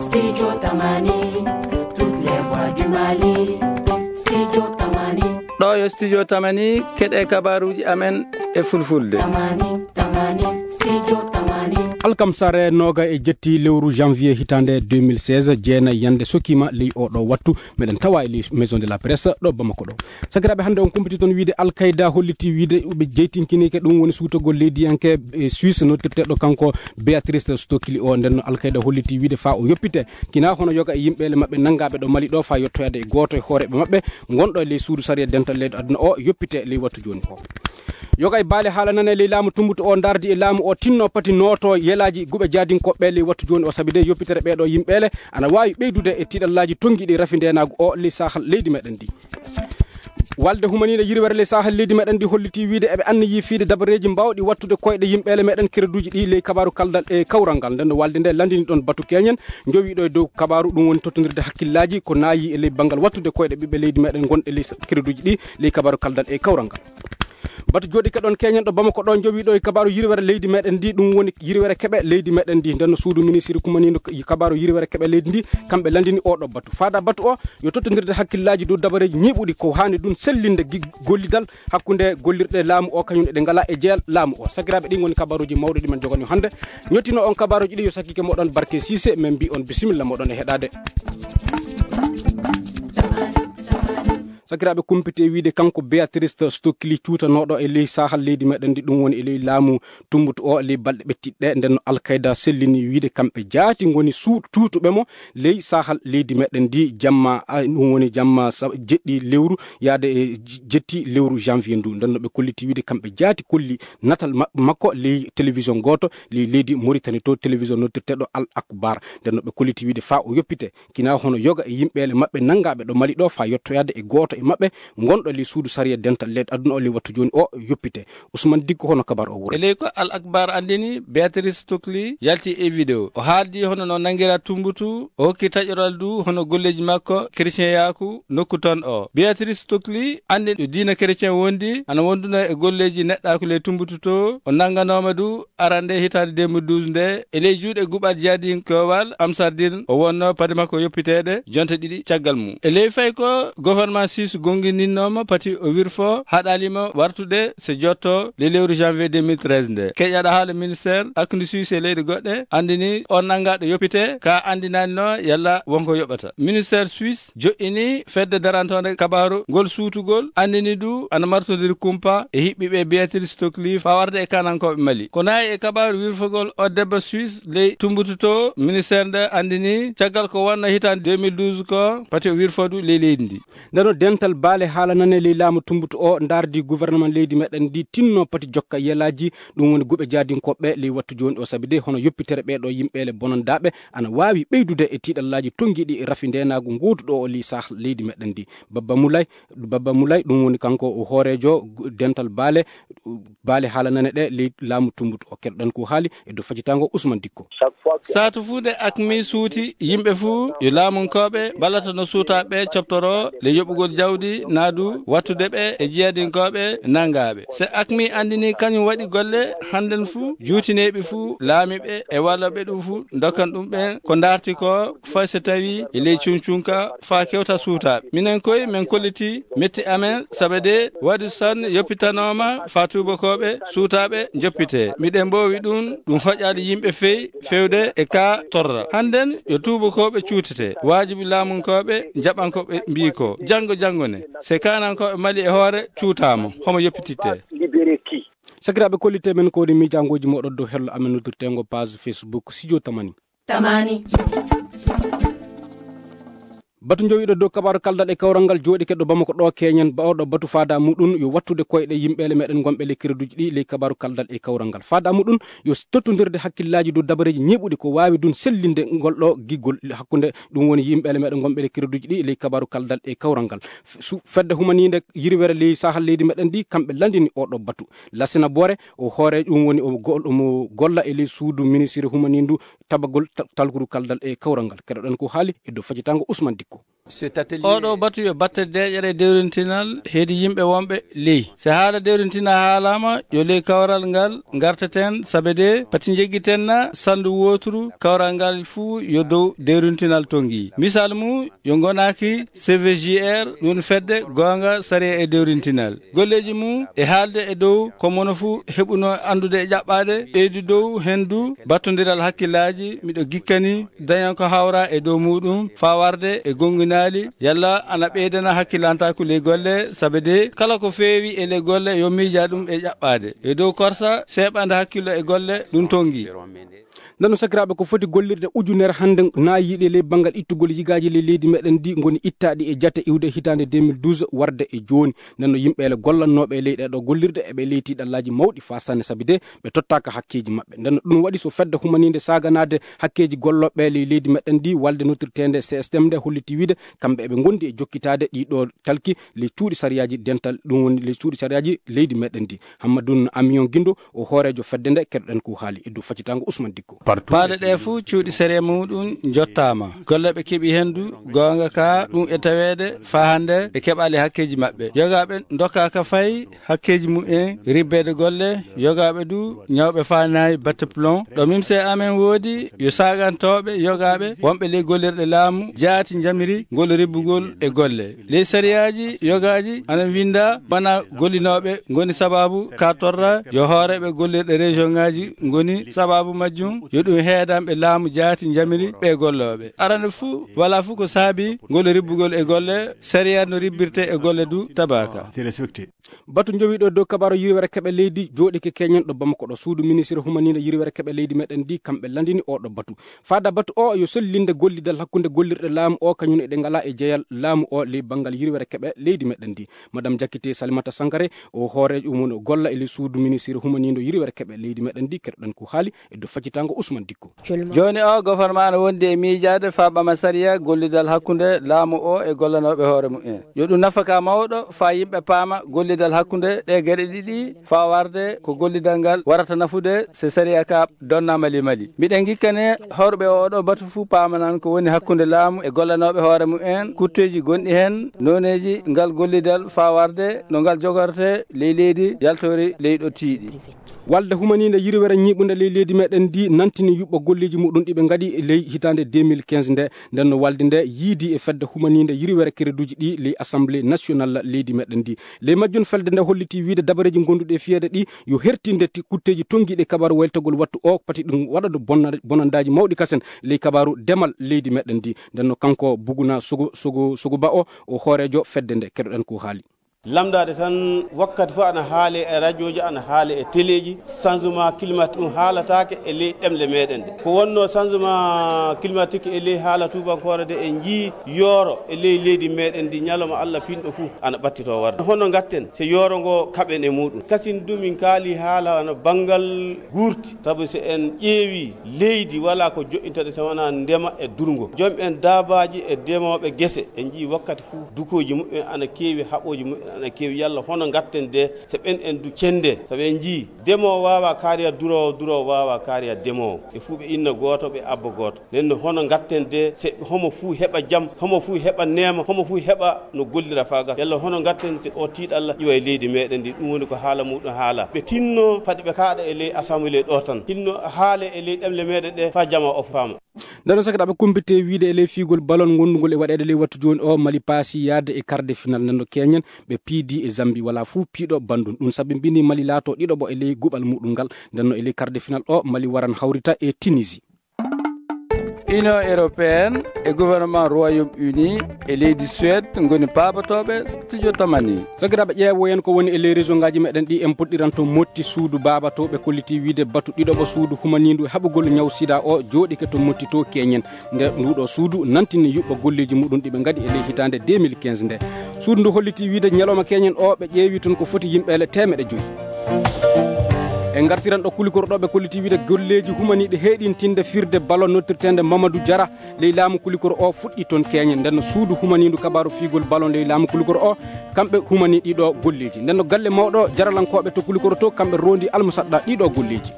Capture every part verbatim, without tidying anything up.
Studio Tamani, toutes les voix du Mali. Studio Tamani. Ɗo yo Studio Tamani, keɗe kabaruuji amen e fulfulde. Tamani, Tamani, Studio Tamani. Alkamsare nooga e jetti lewru janvier hitaande deux mille seize, jeenay yande sokima ley o ɗo wattu. Meɗen tawa e ley Maison de la Presse ɗo Bamako ɗo. Sakiraaɓe, hannde on kumpiti toon wiide Al-Qaida holliti wiide ɓe jeytinkinike, ɗum woni suutagol leydiyanke e Suisse noddirteeɗo kanko Béatrice Stokely o. Nden no Al-Qaida holliti wiide faa o yoppite, kina hono yoga e yimɓeele maɓɓe nanngaɓe ɗo Mali ɗo, faa yottoyaade e gooto e hooreeɓe maɓɓe ngonɗo e ley suudu sariya dental leyɗe aduna o, yoppite ley wattu jooni o. Yoga e baale haala nane ley laamu tumbuto o, ndardi e laamu o, tinno pati nooto yelaaji guɓe jaadinkoɓe ley wattu jooni o, sabi de yoppitere ɓeeɗo yimɓeele ana waawi ɓeydude e tiiɗallaaji tonngiiɗi rafi ndeenaagu o ley sahal leydi meɗen ndi. Walde humaniinde yirwere ley sahal leydi meɗen ndi holliti wiide eɓe anniyi fiide dabareeji mbawɗi wattude koyɗe yimɓeele meɗen kereduuji ɗi ley kabaru kaldal e kawral ngal. Nden no walde nde landini ɗon batu keñen jowiiɗo e dow kabaru, ɗum woni tottondirde hakkillaaji ko naayi e ley banngal wattude koyɗe ɓiɓɓe leydi meɗen gonɗe ley s-, kereduuji ɗi ley kabaru kaldal e kawral ngal. Batu jooɗike ɗon keñen ɗo Bamako ɗo jowiiɗo e kabaru yirwere leydi meɗen ndi, ɗum woni yirwere keɓe leydi meɗen ndi. Nden no suudu ministiri kumaniindo k-, kabaru yirwere keɓe leydi ndi, kamɓe landini oɗo batu. Faada batu o, yo tottondirde hakkillaaji dow dabareeji ñiiɓuɗi ko haani ɗum sellinde gi-, gollidal hakkunde gollirɗe laamu o, kañum eɗe ngala e jeyal laamu o. Sakiraaɓe, ɗin ngoni kabaruuji mawɗi ɗi men jogani hannde. Ñottino on kabaruuji ɗi yo sakkike moɗon Barke Cissé, men mbi on bisimilla moɗon e heɗaade. Sakiraaɓe, kumpite wiide kanko Béatrice Stokely cuutanooɗo e ley sahal leydi meɗen ndi, ɗum woni e ley laamu tumbutu o ley balɗe ɓettiɗe, nden no Al-Qaida sellini wiide kamɓe jaati ngoni su-, cuutuɓe mo ley sahal leydi meɗen ndi jamma, a, ɗum woni jamma sa-, jeɗɗi lewru yaade e j-, jetti lewru janvier ndu. Nden no ɓe kolliti wiide kamɓe jaati kolli natal ma-, makko ley télévision gooto ley leydi Mauritanie to, télévision noddirteeɗo Al Akbar. Nden no ɓe kolliti wiide faa o yoppite, kina hono yoga e yimɓeele maɓɓe nanngaɓe ɗo Mali ɗo faa yottoyaade e gooto e maɓɓe ngonɗo ley suudu sariya dental leyɗe aduna o ley wattu jooni o yoppite. Ousmane Dikko, hono kabar o wuro? E ley ko Al Akbar anndini, Béatrice Stokely yalti e vidéo. O haaldi hono no nanngira tumbutu, o hokki taƴoral du hono golleeji makko chrétien yaaku nokku toon o. Béatrice Stokely anndi ɗo diina chrétien wondi, ana wonduno e golleeji neɗɗaaku ley tumbutu to. O nannganooma du arande hitaande deux mille douze nde, e ley juuɗe guɓal jihadinkowal Ansar Dine o wonno pade makko yoppiteede jonte ɗiɗi caggal mum. E ley fay ko gouvernement Suisse gonngininnooma pati o wirfo, haɗalima wartude se jotto ley lewru janvier deux mille treize nde. Keƴaɗo haala ministère hakkunde Suisse e leyɗe goɗɗe anndini on nanngaɗo yoppite ka anndinanno yalla wonko yoɓata. Ministère Suisse joƴƴini fedde darantoonde kabaaru ngol suutugol, anndini du ana martondiri kumpa e hiɓɓiɓe Béatrice Stokely faa warde e kanankooɓe Mali. Ko nayi e kabaaru wirfogol o debbo Suisse ley tumbututo, ministère nde anndini caggal ko wonno hitaande deux mille douze ko pati o wirfo du ley leydi ndi. Ndeno dental baale haala nane ley laamu tumbutu o ndardi gouvernement leydi meɗen ndi tinno pati jokka yelaaji, ɗum woni guɓe jaadinkoɓe ley wattu jooni o, sabi de hono yoppitere ɓeeɗo yimɓeele bonandaaɓe ana waawi ɓeydude e tiiɗallaaji tonngiiɗi rafi ndeenaagu ngooduɗo o ley sahal leydi meɗen ndi. Babba Moulay, Babba Moulay, ɗum woni kanko o hooreejo gu-, dental baale, baale haala nane ɗe ley laamu tumbutu o. Keɗoɗen ko haali e dow facitaango Ousmane Dikko. Saatu fuu nde akmi suuti, yimɓe fuu yo laamunkooɓe ballata no suutaaɓe coɓtoro le yoɓugol jawdi naadu wattude ɓe e jiyadinkooɓe nanngaaɓe. Se akmi anndini kañum waɗi golle hannden fuu, juutineeɓe fuu, laamiiɓe e wallooɓe ɗum fuu, ndokkan ɗum ɓen ko ndaarti ko, fay so tawii e ley cuncunka, faa kewta suutaaɓe. Minen koy, men kolliti metti amen, sabe de waɗi san yoppitanooma faa tuubakooɓe suutaaɓe njoppitee. Miɗen mboowi ɗum, ɗum hoƴaali yimɓe fey fewde e ka torra. Hannden yo tuubakooɓe cuutete. Waajibi laamunkooɓe njaɓan ko ɓe mbii ko. Janngo janngo ne, se kaanankooɓe Mali e hoore cuutaama, homo yoppitittee. Sakiraaɓe, kollitee men ko woni miijaangooji mooɗon dow hello amen noddirteengo page Facebook Studio Tamani. Tamani. Batu jowiiɗo dow kabaaru kaldal e kawral ngal jooɗike ɗo Bamako ɗo keñen ba oɗo batu faada muɗum yo wattude koyɗe yimɓeele meɗen gonɓe ley kereduuji ɗi ley kabaaru kaldal e kawral ngal. Faada muɗum yo tottondirde hakkillaaji dow dabareeji ñeeɓuɗi ko waawi ɗum sellinde ngol ɗo giggol hakkunde ɗum woni yimɓeele meɗen gonɓe ley kereduuji ɗi ley kabaaru kaldal e kawral ngal. Su-, fedde humaniinde yirwere ley sahal leydi meɗen ndi, kamɓe landini oɗo batu. Lassina Bore, o hoore ɗum woni o go-, omo golla e ley suudu ministiri humaniindu tabagol ta-, talkuru kaldal e kawral ngal. Keɗoɗen ko haali e dow facitaango Ousmane Dikko. Oɗo batu yo batte deeƴere dewrintinal heedi yimɓe wonɓe ley. Se haala dewrintina haalaama, yo ley kawral ngal ngarteten, sabe de pati njeggiten na sandu wooturu, kawral ngal fuu yo dow dewrintinal tongi. Misal mum, yo ngonaaki C V J R, ɗum fedde goonga sariya e dewrintinal. Golleeji mum e haalde e dow ko mono fuu heɓuno anndude e ƴaɓɓaade, ɓeydu dow heen du battondiral hakkillaaji, miɗo gikkani dañan ko hawra e dow muɗum faa warde e gonginaali, yalla ana ɓeydana hakkilantaaku ley golle, sabe de kala ko feewi e ley golle yo miija ɗum e ƴaɓɓaade. E dow korsa seeɓande hakkillo e golle ɗum tongi. Nden no sakiraaɓe, ko foti gollirde ujunere hannde naayiiɗe ley banngal ittugol yigaaji ley leydi meɗen ndi ngoni ittaaɗi e jate iwde hitaande deux mille douze warde e jooni. Nden no yimɓe ele gollannooɓe e ley ɗee ɗo gollirɗe eɓe ley tiiɗallaaji mawɗi faa sanne, sabi de ɓe tottaaka hakkeeji maɓɓe. Nden no ɗum waɗi so fedde humaniinde saaganaade hakkeeji gollooɓe ley leydi meɗen ndi, walde noddirteende C S M nde holliti wiide kamɓe eɓe ngondi e jokkitaade ɗii ɗo talki ley cuuɗi sariyaaji dental, ɗum woni ley cuuɗi sariyaaji leydi meɗen ndi. Hammadun Amiyon Gindo, o hooreejo fedde nde, keɗoɗen ko haali e dow faccitaango Usman Dikko. Paale ɗe fuu cuuɗi sariya muɗum jottaama. Golle ɓe keɓi heen du, goonga ka ɗum e taweede faa hannde ɓe keɓaali hakkeeji maɓɓe. Yogaaɓe ndokkaaka fay hakkeeji mumen ribbeede golle, yogaaɓe du ñawɓe faa naayi batte plomb. Ɗo mimse amen woodi yo saagantooɓe yogaaɓe wonɓe ley gollirɗe laamu jaati njamiri ngol ribbugol e golle. Ley sariyaaji yogaaji ana winnda bana gollinooɓe ngoni sabaabu ka torra, yo hooreeɓe gollirɗe région ŋaaji ngoni sabaabu majjum, yo ɗum heedanɓe laamu jaati njamiri ɓe gollooɓe. Arande fuu, walaa fuu ko saabi ngol ribbugol e golle, sariya no ribbirte e golle du tabaaka. Batu njowiiɗo dow kabaaru yirwere keɓe leydi jooɗike keñen ɗo Bamako ɗo. Suudu ministre humaniinde yirwere keɓe leydi meɗen ndi, kamɓe landini oo ɗo batu. Faada batu o yo sollinde gollidal hakkunde gollirɗe laamu o, kañum eɗe ngala e jeyal laamu o ley banngal yirwere keɓe leydi meɗen ndi. Madame Jakite Salimata Sankare, o hooreejo mum no golla e ley suudu ministre humaniindo yirwere keɓe leydi meɗen ndi, keɗoɗen ko haali e dow faccitaango Usman Dikko. Jooni o, gofornma ana wondi e miijaade faa ɓama sariya gollidal hakkunde laamu o e gollanooɓe hoore mumen. Yo ɗum nafaka mawɗo faa yimɓe paama gollidal hakkunde ɗee geɗe ɗiɗi faa warde ko gollidal ngal warata nafude so sariya ka donna mali mali. Miɗen ngikkane horɓe oo ɗoo batu fuu paamanan ko woni hakkunde laamu e gollanooɓe hoore mumen, kutteeji gonɗi heen, nooneeji ngal gollidal faa warde no ngal jogortee ley leydi yaltoori ley ɗo tiiɗi. Walde humaniinde yirwere ñiiɓunde ley leydi meɗen ndi nantini yuɓɓo golleeji muɗum ɗi ɓe ngaɗi ley hitaande deux mille quinze nde. Nden no walde nde yiidi e fedde humaniinde yirwere kereduuji ɗi ley Assemblée nationale leydi meɗen ndi. Ley majjum felde nde holliti wiide dabareeji gonduɗi e fiyeede ɗi yo hertinde ti kutteeji tongiiɗi e kabaaru waylitagol wattu o, pati ɗum waɗa ɗo bonna-, bonandaaji mawɗi kasen ley kabaaru demal leydi meɗen ndi. Nden no kanko Buguna Sogo, Sogo, Sogo Ba o, o hooreejo fedde nde, keɗoɗen ko haali. Lamndaade tan, wakkati fof ana haale e rajooji, ana haale e teleeji, changement climatique ɗum haalataake e ley ɗemle meɗen ɗe. Ko wonno changement climatique e ley haala tuubankoore de, en njii yooro e ley leydi meɗen ndi, ñalawma Allah pinɗo fuu ana ɓattitoo warde. Hono ngatten so yooro ngo kaɓen e muɗum? Kasin du min kaali haala no banngal guurti, sabu so en ƴeewi leydi, walaa ko joɗɗinta ɗe so wonaa ndema e durngo. Joom en daabaaji e demooɓe gese, en njii wakkati fuu dukooji muɓɓen ana keewi, haɓooji muɓɓen ana keewi. Yalla hono ngatten de so ɓen en du cende? Sabu en njii demoowo waawaa kaariya duroowo, duroowo waawaa kaariya demoowo. Ɓe fuu ɓe inna gooto, ɓe abba gooto. Nden no hono ngatten de, se homo fuu heɓa jam, homo fuu heɓa neema, homo fuu heɓa no gollira faa gasa. Yalla hono ngatten se o tiiɗalla iwa e leydi meɗen ndi? Ɗum woni ko haala muɗum haala. Ɓe tinno fade ɓe kaaɗa e ley assemblée ɗo tan. Tinno haale e ley ɗemle meɗen ɗe faa jama o faama. Nden no sakiraaɓe, kumpite wiide e ley fiigol balon ngondungol e waɗeede ley wattu jooni o, Mali paasi yaade e quart de finale. Nden no keñen ɓe piidi e Zambie, walaa fuu piiɗo bandum. Ɗum sabi mbini Mali laato ɗiɗo ɓo e ley guɓal muɗum ngal. Nden no e ley quart de finale o, Mali waran hawrita e Tunisie. Union européenne e gouvernement Royaume-Uni e leydi Suède ngoni paabotooɓe studio Tamani. Sakiraaɓe, ƴeewoyen ko woni e ley région ngaji meɗen ɗi. En puɗɗiran to Motti, suudu baabatooɓe kolliti wiide batu ɗiɗo ɓo suudu humaniindu e haɓugol ñaw sida o jooɗike to Motti to keñen. Nde nduɗo suudu nantini yuɓɓo golleeji muɗum ɗi ɓe ngaɗi e ley hitaande deux mille quinze nde. Suudu ndu holliti wiide ñalawma keñen o ɓe ƴeewi toon ko foti yimɓe ele teemeɗe joyi. En ngartiran ɗo Kulikoro ɗo ɓe kolliti wiide golleeji humaniiɗi heyɗintinde firde ballon noddirteende Mamadou Diarra ley laamu Kulikoro o fuɗɗi toon keñen. Nden no suudu humaniindu kabaaru fiigol ballon ley laamu Kulikoro o, kamɓe humani ɗiɗo golleeji. Nden no galle mawɗo jaralankooɓe to Kulikoro to, kamɓe rondi almusaɗɗa ɗiɗo golleeji.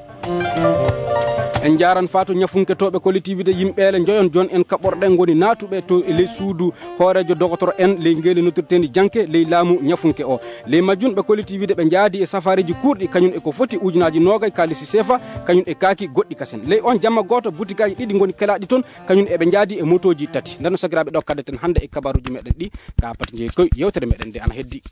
En njaaran faa to ñafunketooɓe collectivité yimɓeele njoyon jon en kaɓorɗe ngoni naatuɓe to e ley suudu hooreejo dogotoro en ley ngeendi noddirteendi janke ley laamu ñafunke o. Ley majjun ɓe collectivité ɓe njaadi e safaariiji kuurɗi kañum e ko foti ujunaaji noogay kaalisi seefa kañum e kaaki goɗɗi kasen. Ley on jamma gooto butikaaji ɗiɗi ngoni kelaaɗi toon kañum eɓe njaadi e motooji tati. Nden no sakiraaɓe ɗo kaddeten hannde e kabaruuji meɗen ɗi ka pati jeeyi koy yewtere meɗen nde ana heddi.